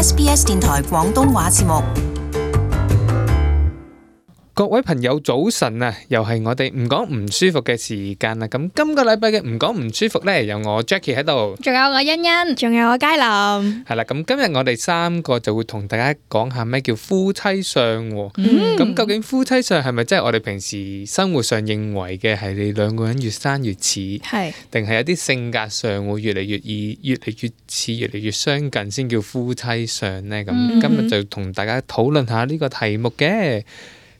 SBS 電台廣東話節目。各位朋友早晨啊，又係我哋唔講唔舒服嘅時間啦。咁今個禮拜嘅唔講唔舒服呢，有我 Jackie 喺度，仲有我欣欣，仲有我佳琳。係啦，咁今日我哋三個就會同大家講下咩叫夫妻相喎。咁究竟夫妻相係咪真係我哋平時生活上認為嘅係你兩個人越生越似，係定係有啲性格上會越嚟越似、越嚟越相近先叫夫妻相呢？咁今日就同大家討論下呢個題目嘅。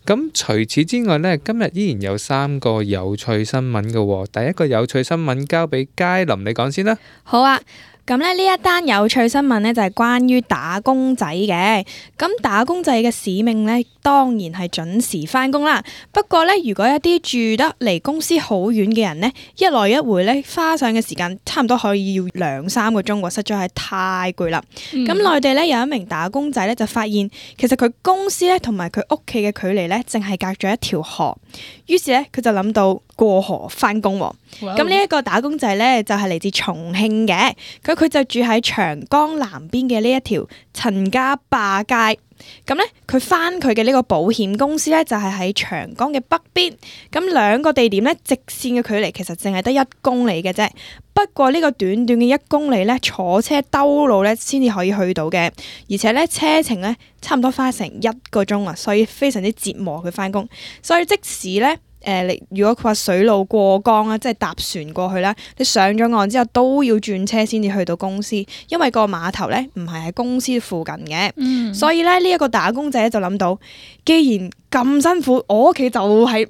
咁除此之外呢，今日依然有三個有趣新聞嘅喎。第一個有趣新聞交俾佳琳，你講先啦。好啊。咁呢一單有趣新聞呢，就係關於打工仔嘅。咁打工仔嘅使命呢，當然係準時返工啦。不過呢，如果一啲住得離公司好遠嘅人呢，一來一回呢，花上嘅時間差唔多可以要2-3個鐘喎，實在係太攰啦。咁內地呢，有一名打工仔呢，就發現其實佢公司呢同埋佢屋企嘅距離呢，淨係隔咗一條河。於是呢，佢就諗到過河返工喎。咁呢一個打工仔呢，就係嚟自重慶嘅，佢就住喺長江南邊嘅呢一條陳家壩街。咁呢，佢返佢嘅呢個保險公司呢，就係喺長江嘅北邊。咁兩個地點呢，直線嘅距離其實淨係得1公里嘅啫。不過呢個短短嘅1公里呢，坐車兜路呢先至可以去到嘅，而且呢，車程呢差唔多花成1個鐘啊，所以非常之折磨佢返工。所以即使呢，你如果佢話水路過江啦，即係搭船過去啦，你上咗岸之後都要轉車先至去到公司，因為個碼頭咧唔係喺公司附近嘅。所以咧呢一個打工仔就諗到，既然咁辛苦，我屋企就係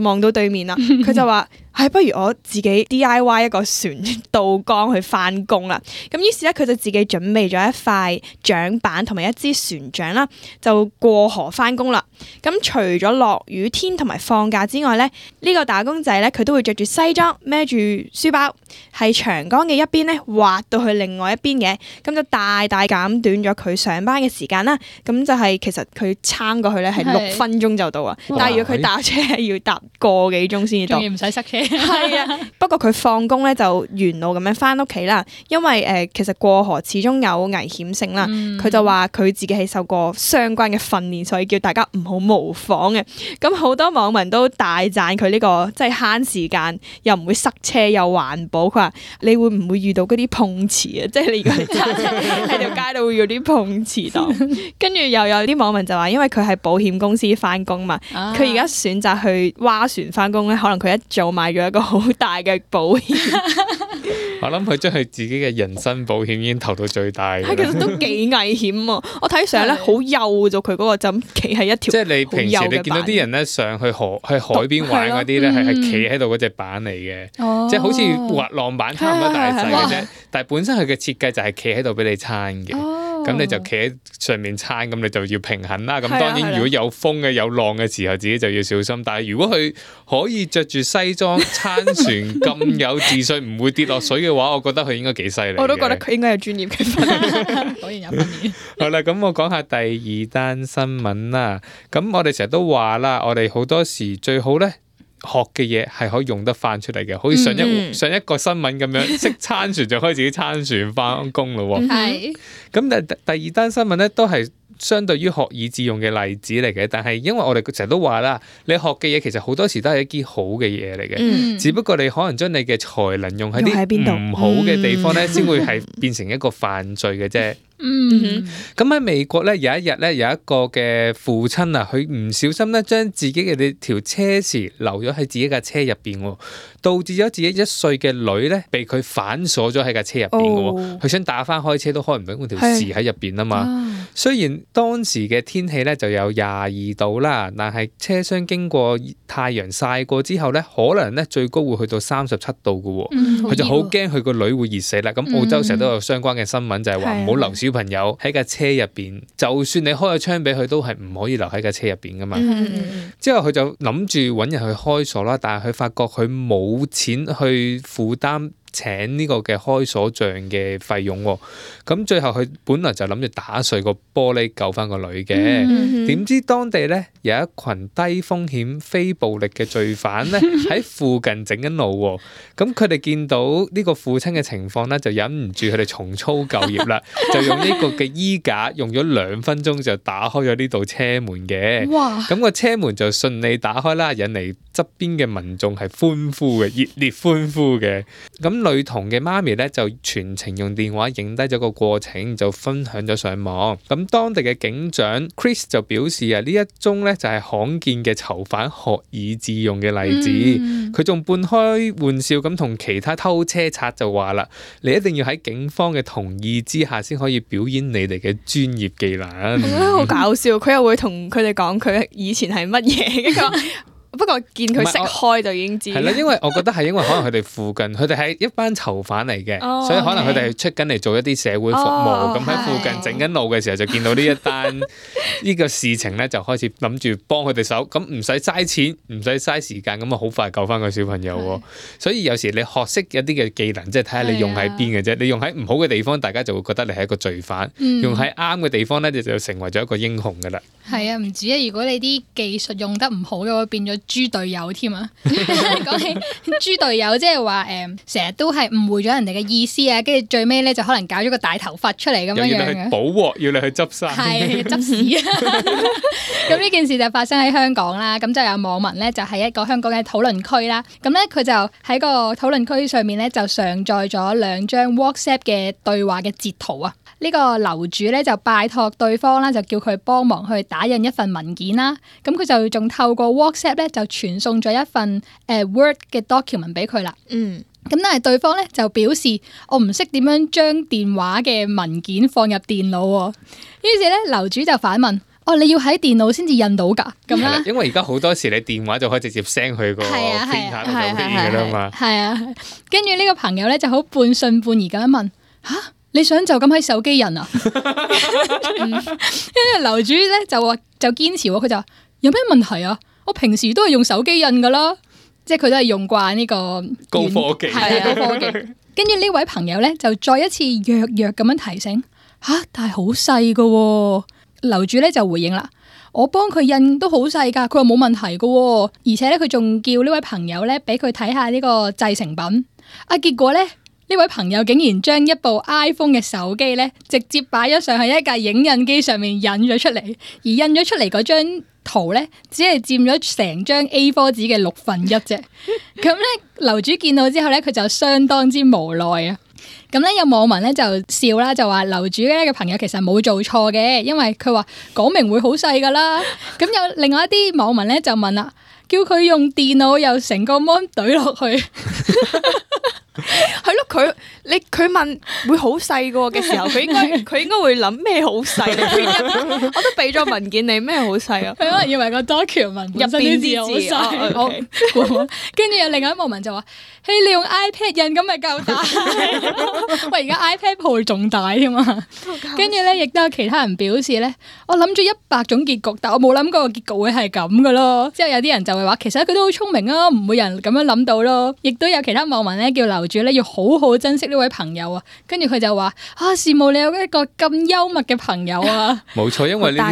望到對面啦。佢就話：不如我自己 DIY 一個船渡江去返工啦。咁於是咧，佢就自己準備咗一塊槳板同埋一支船槳啦，就過河返工啦。咁除咗落雨天同埋放假之外咧，呢個打工仔咧佢都會着住西裝，孭住書包，喺長江嘅一邊咧滑到去另外一邊嘅，咁就大大減短咗佢上班嘅時間啦。咁就係其實佢撐過去咧係6分鐘就到啊，但係如果佢打車係要搭個幾鐘先至到，仲要唔使塞車。係啊，不過佢放工咧就沿路咁樣翻屋企啦，因為其實過河始終有危險性啦。佢就話佢自己係受過相關嘅訓練，所以叫大家唔好模仿嘅。咁好多網民都大讚佢呢個即係慳時間，又唔會塞車又環保。佢話你會唔會遇到嗰啲碰瓷啊？即係你如果揸車喺條街度會有啲碰瓷檔。跟住又有啲網民就話，因為佢係保險公司翻工嘛，佢而家選擇去划船翻工咧，可能佢一早買咗一個好大嘅保險。我諗佢將佢自己嘅人身保險已經投到最大。其實都幾危險啊！我睇相咧好幼咗，佢嗰個就咁企喺一條。即係你平時你見到啲人咧上去海邊玩嗰啲咧，係企喺度嗰隻板嚟嘅，即係好似滑浪板差唔多大細嘅啫。但係本身佢嘅設計就係企喺度俾你撐嘅。咁你就企喺上面撐，咁你就要平衡啦。咁當然如果有風嘅有浪嘅時候，自己就要小心。但係如果佢可以着住西裝撐船咁有自信，唔會跌落水嘅話，我覺得佢應該幾犀利。我都覺得佢應該有專業嘅訓練。果然有訓練。好啦，咁我講下第二單新聞啦。咁我哋成日都話啦，我哋好多時最好咧，學嘅嘢係可以用得翻出嚟嘅，好似上一個新聞咁樣，識撐船就可以自己撐船翻工咯。係。咁第二單新聞咧都係相對於學以致用嘅例子嚟嘅，但係因為我哋成日都話啦，你學嘅嘢其實好多時都係一啲好嘅嘢嚟嘅，只不過你可能將你嘅才能用喺啲唔好嘅地方咧，先會係變成一個犯罪嘅啫。咁喺美國咧，有一日咧，有一個嘅父親啊，佢唔小心咧將自己嘅條車匙留咗喺自己架車入邊，導致咗自己1歲嘅女咧被佢反鎖咗喺架車入邊嘅。佢想打翻開車都開唔到，嗰條匙喺入邊啊嘛。雖然當時嘅天氣咧就有22度啦，但係車廂經過太陽曬過之後咧，可能咧最高會去到37度嘅。佢就好驚佢個女會熱死啦。咁澳洲成日都有相關嘅新聞，就係話唔好留小朋友喺架車入邊，就算你開個窗俾佢，都係唔可以留喺架車入邊噶嘛。之後佢就諗住揾人去開鎖啦，但係佢發覺佢冇錢去負擔請呢個嘅開鎖匠嘅費用喎。咁最後佢本來就諗住打碎個玻璃救翻個女嘅，點知當地咧有一群低風險非暴力嘅罪犯咧喺附近整緊路喎。咁佢哋見到呢個父親嘅情況咧，就忍唔住佢哋重操舊業啦，就用呢個嘅衣架用咗2分鐘就打開咗呢道車門嘅。哇！咁個車門就順利打開啦，引嚟側邊嘅民眾係歡呼嘅，熱烈歡呼嘅。咁女童嘅媽咪咧就全程用電話影低咗個過程，就分享咗上網。咁當地嘅警長 Chris 就表示啊，呢一宗咧就係罕見嘅囚犯學以致用嘅例子。佢仲半開玩笑咁同其他偷車賊就話啦，你一定要喺警方嘅同意之下先可以表演你哋嘅專業技能。我覺得好搞笑，佢又會同佢哋講佢以前係乜嘢。不過見佢識開就已經知。係啦，因為我覺得係因為可能佢哋附近，佢哋係一班囚犯嚟嘅，所以可能佢哋係出緊嚟做一啲社會服務，咁喺附近整緊路嘅時候就見到呢一單呢個事情咧，就開始諗住幫佢哋手，咁唔使嘥錢，唔使嘥時間，咁啊好快救翻個小朋友喎。所以有時你學識一啲嘅技能，即係睇下你用喺邊嘅啫。你用喺唔好嘅地方，大家就會覺得你係一個罪犯；用喺啱嘅地方咧，你就成為咗一個英雄噶啦。係啊，唔止啊！如果你啲技術用得唔好嘅話，變咗豬隊友添啊！講起豬隊友，即係話成日都係誤會咗人哋嘅意思啊，跟住最尾咧就可能搞咗個大頭髮出嚟咁樣樣嘅。要你去補鑊，要你去執衫。係執屎啊！咁呢件事就發生喺香港啦。咁就有網民咧，就喺一個香港嘅討論區啦。咁咧佢就喺個討論區上面咧，就上載咗2張 WhatsApp 嘅對話嘅截圖啊。呢個樓主咧就拜託對方啦，就叫佢幫忙去打印一份文件啦。咁佢就仲透過 WhatsApp 咧就傳送咗一份Word 嘅 document 俾佢啦。咁但係對方咧就表示我唔識點樣將電話嘅文件放入電腦喎。於是咧樓主就反問：哦，你要喺電腦先至印到㗎？咁啦，因為而家好多時你電話就可以直接 send 去個 printer 度就可以㗎啦嘛。係啊，跟住呢個朋友咧就好半信半疑咁樣問：嚇？你想就咁喺手機印啊？跟住樓主咧就堅持喎，佢就話有咩問題啊？我平時都係用手機印噶啦，即係佢都係用慣呢個高科技，係啊，高科技。跟住呢位朋友咧就再一次弱弱咁樣提醒吓，但係好細噶。樓主咧就回應啦，我幫佢印都好細噶，佢話冇問題噶，而且咧佢仲叫呢位朋友咧俾佢睇下呢個製成品。啊，結果咧。呢位朋友竟然將一部 iPhone 嘅手機咧，直接擺咗上去一架影印機上面印咗出嚟，而印咗出嚟嗰張圖咧，只係佔咗成張 A4 紙嘅1/6啫。咁咧，樓主見到之後咧，佢就相當之無奈啊。咁咧，有網民咧就笑啦，就話樓主咧嘅朋友其實冇做錯嘅，因為佢話講明會好細噶啦。咁有另外一啲網民咧就問啦，叫佢用電腦又成個 mon 懟落去。係咯，佢問會好細個嘅時候，佢應該會諗咩好細？我都俾咗文件你，咩好細啊？佢可能以為個 document 入邊啲字好細。跟住有另外一網民就話：嘿，你用 iPad 印咁咪夠大？喂，而家 iPad Pro 仲大添嘛？跟住咧，亦都有其他人表示咧，我諗咗100種結局，但我冇諗過個結局會係咁噶咯。之後有啲人就會話，其實佢都好聰明啊，唔會有人咁樣諗到咯。亦都有其他網民咧叫樓主咧要好好珍惜呢位朋友啊。跟住佢就話：羨慕你有一個咁幽默嘅朋友啊！冇錯，因為呢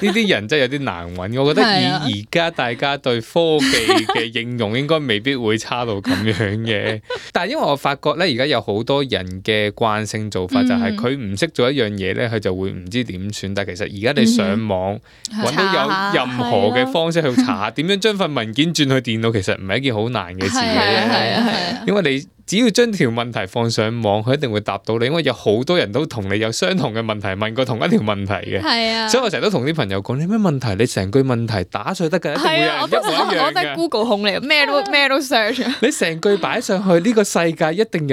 啲人真係有啲難揾。我覺得以而家大家對科技嘅應用應該未必會差到咁樣嘅。但係因為我發覺咧，而家有好多人嘅慣性做法就係佢唔識做一樣嘢咧，佢就會唔知點算。但係其實而家你上網揾到有任何嘅方式去查點樣將份文件轉去電腦，其實唔係一件好難嘅事嘅。因為你只要將條問題放上網，佢一定會答到你，因為有好多人都同你有相同嘅問題，問過同一條問題嘅。係啊，所以我成日都同啲朋友講：你咩問題？你成句問題打碎得㗎，一定會有人一模一樣嘅。我都係 Google 控嚟，咩都 search。你成句擺上去，呢個世界一定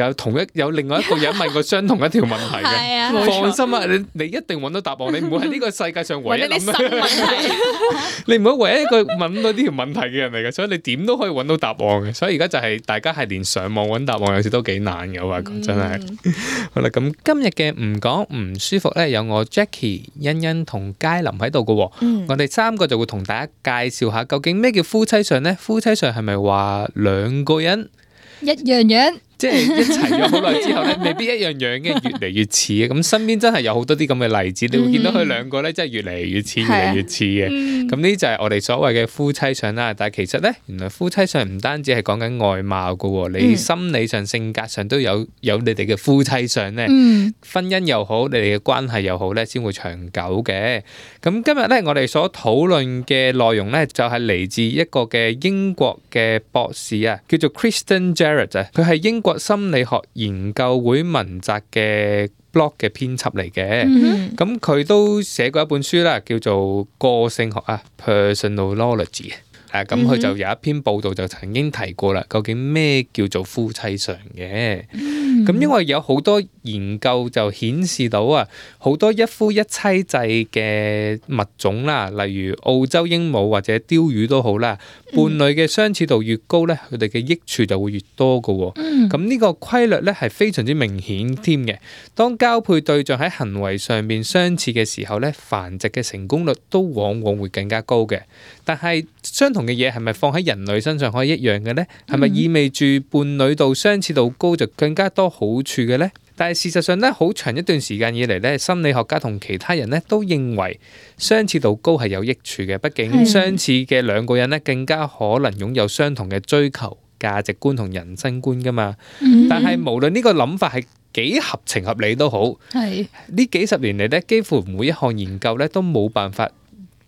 有另外一個人問過相同一條問題嘅。放心啊，你一定揾到答案。你唔會喺呢個世界上唯一諗新問題。你唔會唯一一個問到呢條問題嘅人嚟嘅，所以你點都可以揾到答案嘅。所以而家就係大家係連上網揾答案。有時都幾難嘅，我發覺真係。好啦，咁今日嘅唔講唔舒服咧，有我 Jackie、欣欣同佳琳喺度嘅。我哋3個就會同大家介紹下究竟咩叫夫妻相咧？夫妻相係咪話2個人一樣樣？即係一齊咗好耐之後咧，未必一樣樣嘅，越嚟越似嘅。咁身邊真係有好多啲咁嘅例子，你會見到佢兩個咧，真係越嚟越似，越嚟越似嘅。咁呢就係我哋所謂嘅夫妻相啦。但係其實咧，原來夫妻相唔單止係講緊外貌噶，你心理上、性格上都有你哋嘅夫妻相咧。婚姻又好，你哋嘅關係又好咧，先會長久嘅。咁今日咧，我哋所討論嘅內容咧，就係嚟自一個嘅英國嘅博士啊，叫做 Kristen Jarrett 啊，佢係英國心理學研究會文摘嘅 blog 嘅編輯嚟嘅。咁佢都寫過一本書啦，叫做個性學啊 Personalology。咁佢就有一篇報道就曾經提過啦，究竟咩叫做夫妻相嘅？咁因為有好多研究就顯示到啊，好多一夫一妻制嘅物種啦，例如澳洲鸚鵡或者鯛魚都好啦，伴侶嘅相似度越高咧，佢哋嘅益處就會越多㗎喎。咁呢個規律咧係非常之明顯添嘅。當交配對象喺行為上面相似嘅時候咧，繁殖嘅成功率都往往會更加高嘅。但係相同嘅嘢係咪放喺人類身上可以一樣嘅呢？係咪意味住伴侶度相似度高就更加多好處嘅呢？但係事實上咧，好長一段時間以嚟咧，心理學家同其他人咧都認為相似度高係有益處嘅。畢竟相似嘅兩個人咧，更加可能擁有相同嘅追求、價值觀同人生觀噶嘛。但係無論呢個諗法係幾合情合理都好，呢幾十年嚟咧，幾乎每一項研究咧都冇辦法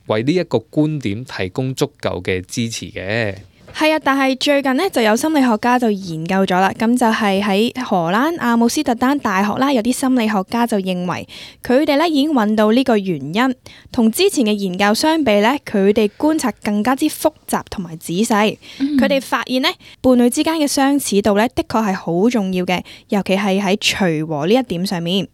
為呢一個觀點提供足夠嘅支持嘅。係啊，但係最近呢，就有心理學家就研究咗啦，咁就係喺荷蘭阿姆斯特丹大學啦，有啲心理學家就認為佢哋咧已經揾到呢個原因，同之前嘅研究相比呢，佢哋觀察更加之複雜同埋仔細。佢哋發現呢，伴侶之間嘅相似度呢，的確係好重要嘅，尤其係喺隨和呢一點上面。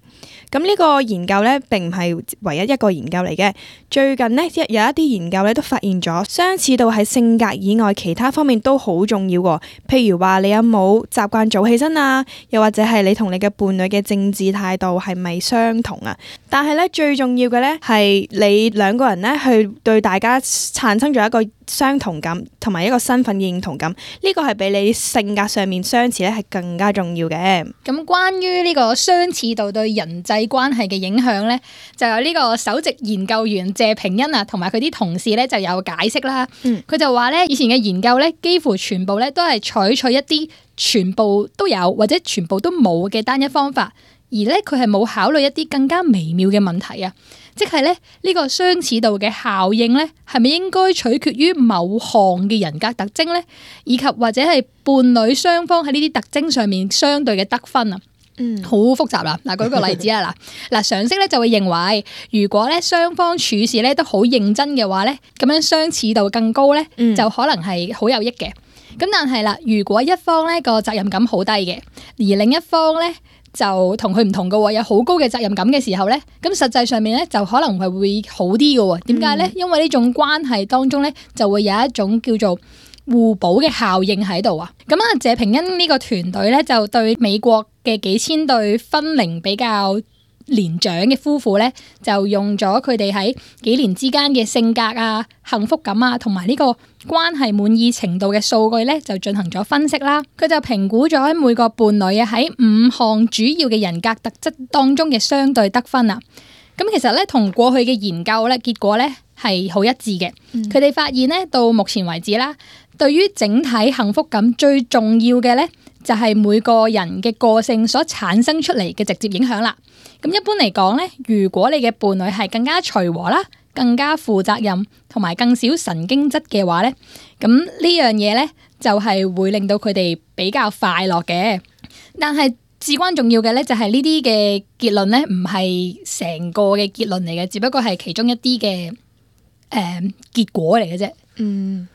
咁呢個研究咧並唔係唯一一個研究嚟嘅。最近呢，有一啲研究咧都發現咗相似度喺性格以外其他方面都好重要喎。譬如話你有冇習慣早起身啊，又或者係你同你嘅伴侶嘅政治態度係咪相同啊？但係咧最重要嘅咧係你兩個人咧去對大家產生咗一個相同感同埋一個身份認同感，呢個係比你性格上面相似咧係更加重要嘅。咁關於呢個相似度對人際關係嘅影響咧，就有呢個首席研究員謝平恩啊，同埋佢啲同事咧就有解釋啦。佢就話咧，以前嘅研究咧，幾乎全部咧都係採取一啲全部都有或者全部都冇嘅單一方法，而咧佢係冇考慮一啲更加微妙嘅問題啊。即係咧呢個相似度嘅效應咧，係咪應該取決於某項嘅人格特徵咧，以及或者係伴侶雙方喺呢啲特徵上面相對嘅得分啊？好複雜啦。嗱，舉個例子啊，嗱，常識咧就會認為，如果咧雙方處事咧都好認真嘅話咧，咁樣相似度更高咧，就可能係好有益嘅。咁但係啦，如果一方咧個責任感好低嘅，而另一方咧就同佢唔同嘅喎，有好高嘅責任感嘅時候咧，咁實際上面咧就可能係會好啲嘅喎。點解咧？因為呢種關係當中咧就會有一種叫做互補嘅效應喺度啊。咁啊，謝平恩呢個團隊咧就對美國嘅幾千對婚齡比較年長嘅夫婦咧，就用咗佢哋喺幾年之間嘅性格啊、幸福感啊，同埋呢個關係滿意程度嘅數據咧，就進行咗分析啦。佢就評估咗每個伴侶啊喺5項主要嘅人格特質當中嘅相對得分啊。咁其實咧，同過去嘅研究咧結果咧係好一致嘅。佢哋發現咧，到目前為止啦，對於整體幸福感最重要嘅咧，就係每個人嘅個性所產生出嚟嘅直接影響啦。咁一般嚟講咧，如果你嘅伴侶係更加隨和啦、更加負責任同埋更少神經質嘅話咧，咁呢樣嘢咧就係會令到佢哋比較快樂嘅。但係至關重要嘅咧，就係呢啲嘅結論咧，唔係成個嘅結論嚟嘅，只不過係其中一啲嘅結果嚟嘅啫。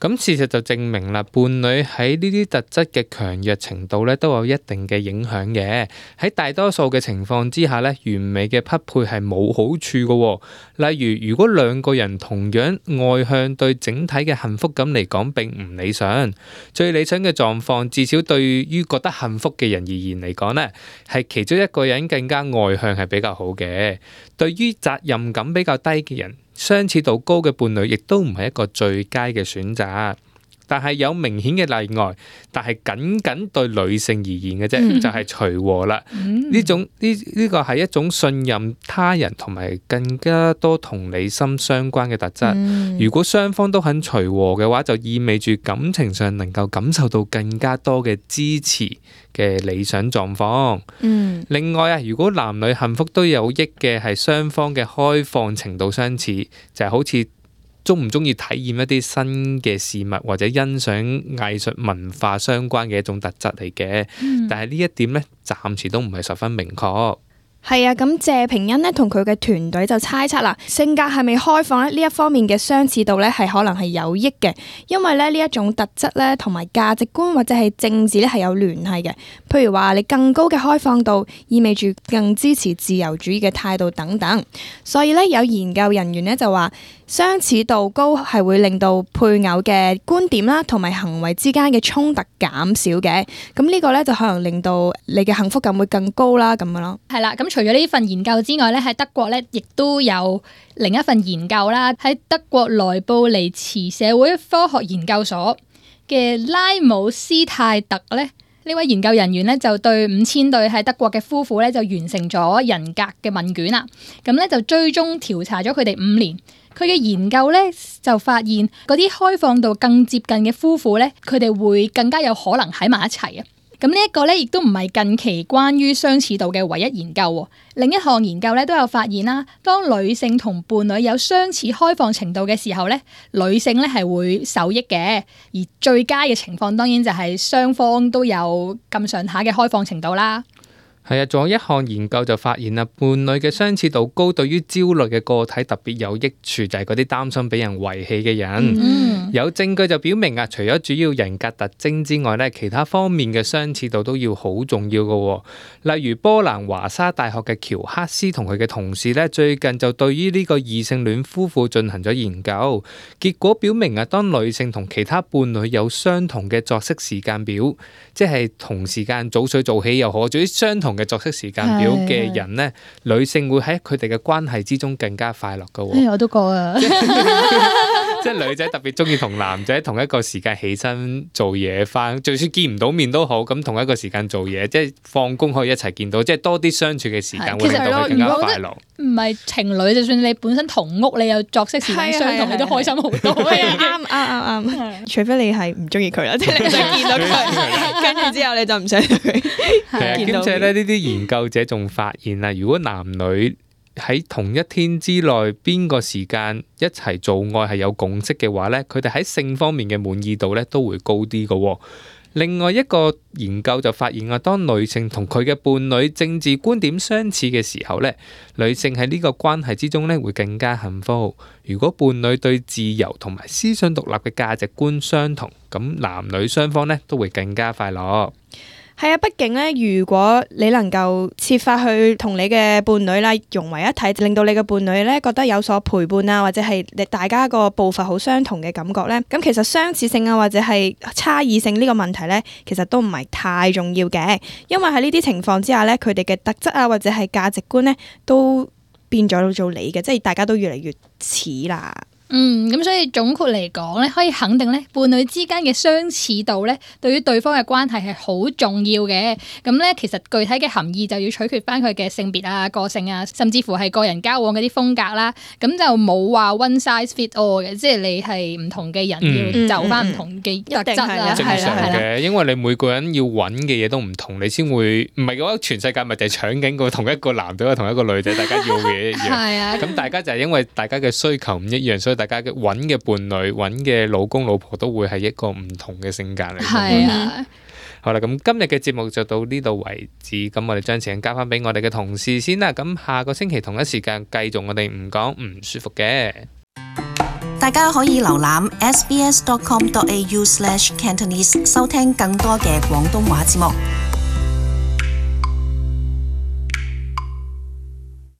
咁事實就證明啦，伴侶喺呢啲特質嘅強弱程度咧，都有一定嘅影響嘅。喺大多數嘅情況之下咧，完美嘅匹配係冇好處嘅。例如，如果兩個人同樣外向，對整體嘅幸福感嚟講並唔理想。最理想嘅狀況，至少對於覺得幸福嘅人而言嚟講咧，係其中一個人更加外向係比較好嘅。對於責任感比較低嘅人，相似度高嘅伴侶亦都唔係一個最佳嘅選擇。但係有明顯嘅例外，但係僅對女性而言嘅啫，就係隨和啦。呢個係一種信任他人同埋更加多同理心相關嘅特質。如果雙方都很隨和嘅話，就意味住感情上能夠感受到更加多嘅支持嘅理想狀況。另外啊，如果男女幸福都有益嘅係雙方嘅開放程度相似，就係好似中唔中意體驗一啲新嘅事物或者欣賞藝術文化相關嘅一種特質嚟嘅。但係呢一點呢，暫時都唔係十分明確。係啊，咁謝平恩呢同佢嘅團隊就猜測啦，性格係咪開放呢？呢一方面嘅相似度呢係可能係有益嘅，因為呢一種特質呢同埋價值觀或者係政治呢係有聯繫嘅。譬如話你更高嘅開放度，意味住更支持自由主義嘅態度等等。所以呢，有研究人員呢就話，相似度高係會令到配偶嘅觀點啦同埋行為之間嘅衝突減少嘅。咁呢個呢，就可能令到你嘅幸福感會更高啦，咁樣咯。係啦，咁除咗呢份研究之外咧，喺德國咧亦都有另一份研究啦。喺德國萊布尼茨社會科學研究所嘅拉姆斯泰特咧，呢位研究人員咧就對5000對喺德國嘅夫婦咧就完成咗人格嘅問卷啦。咁咧就追蹤調查咗佢哋5年。佢嘅研究咧就發現嗰啲開放度更接近嘅夫婦咧，佢哋會更加有可能喺埋一齊啊。咁呢一個咧，亦都唔係近期關於相似度嘅唯一研究。另一項研究咧都有發現啦，當女性同伴侶有相似開放程度嘅時候咧，女性咧係會受益嘅。而最佳嘅情況當然就係雙方都有咁上下嘅開放程度啦。係啊，仲有一項研究就發現啦，伴侶嘅相似度高，對於焦慮嘅個體特別有益處，就係嗰啲擔心俾人遺棄嘅人。有證據就表明啊，除咗主要人格特徵之外咧，其他方面嘅相似度都要好重要嘅。例如波蘭華沙大學嘅喬克斯同佢嘅同事咧，最近就對於呢個異性戀夫婦進行咗研究，結果表明啊，當女性同其他伴侶有相同嘅作息時間表，即係同時間早睡早起又好，總之相同嘅作息時間表嘅人呢，女性會喺佢哋嘅關係之中更加快樂㗎。我都覺啊，即係女仔特別中意同男仔同一個時間起身做嘢返，就算見唔到面都好，咁同一個時間做嘢，即係放工可以一齊見到，即係多啲相處嘅時間會令到佢更加快樂。唔係情侶，就算你本身同屋，你有作息時間相同，你都開心好多。啱，除非你係唔中意佢啦，即係你想見到佢，跟住之後你就唔想佢。兼且咧，呢啲研究者仲發現啦，如果男女喺同一天之內邊個時間一齊做愛係有共識嘅話咧，佢哋喺性方面嘅滿意度咧都會高啲嘅。另外一個研究就發現啊，當女性同佢嘅伴侶政治觀點相似嘅時候咧，女性喺呢個關係之中咧會更加幸福。如果伴侶對自由同埋思想獨立嘅價值觀相同，咁男女雙方咧都會更加快樂。係啊，畢竟咧，如果你能夠設法去同你嘅伴侶啦融為一體，令到你嘅伴侶咧覺得有所陪伴啊，或者係大家個步伐好相同嘅感覺咧，咁其實相似性啊或者係差異性呢個問題咧，其實都唔係太重要嘅，因為喺呢啲情況之下咧，佢哋嘅特質啊或者係價值觀咧都變咗做你嘅，即係大家都越嚟越似啦。咁所以總括嚟講咧，可以肯定咧，伴侶之間嘅相似度咧，對於對方嘅關係係好重要嘅。咁咧，其實具體嘅含義就要取決翻佢嘅性別啊、個性啊，甚至乎係個人交往嗰啲風格啦。咁就冇話 one size fit all 嘅，即係你係唔同嘅人要就翻唔同嘅特質啦，正常嘅。因為你每個人要揾嘅嘢都唔同，你先會唔係嘅話，全世界咪就係搶緊個同一個男仔同一個女仔，大家要嘅嘢一樣。係啊，咁大家就係因為大家嘅需求唔一樣，所以大家嘅揾嘅伴侶、揾嘅老公老婆都會係一個唔同嘅性格嚟。係啊，好啦，咁今日嘅節目就到呢度為止。咁我哋將時間交翻俾我哋嘅同事先啦。咁下個星期同一時間繼續我哋唔講唔舒服嘅。大家可以瀏覽 sbs.com.au/Cantonese 收聽更多嘅廣東話節目。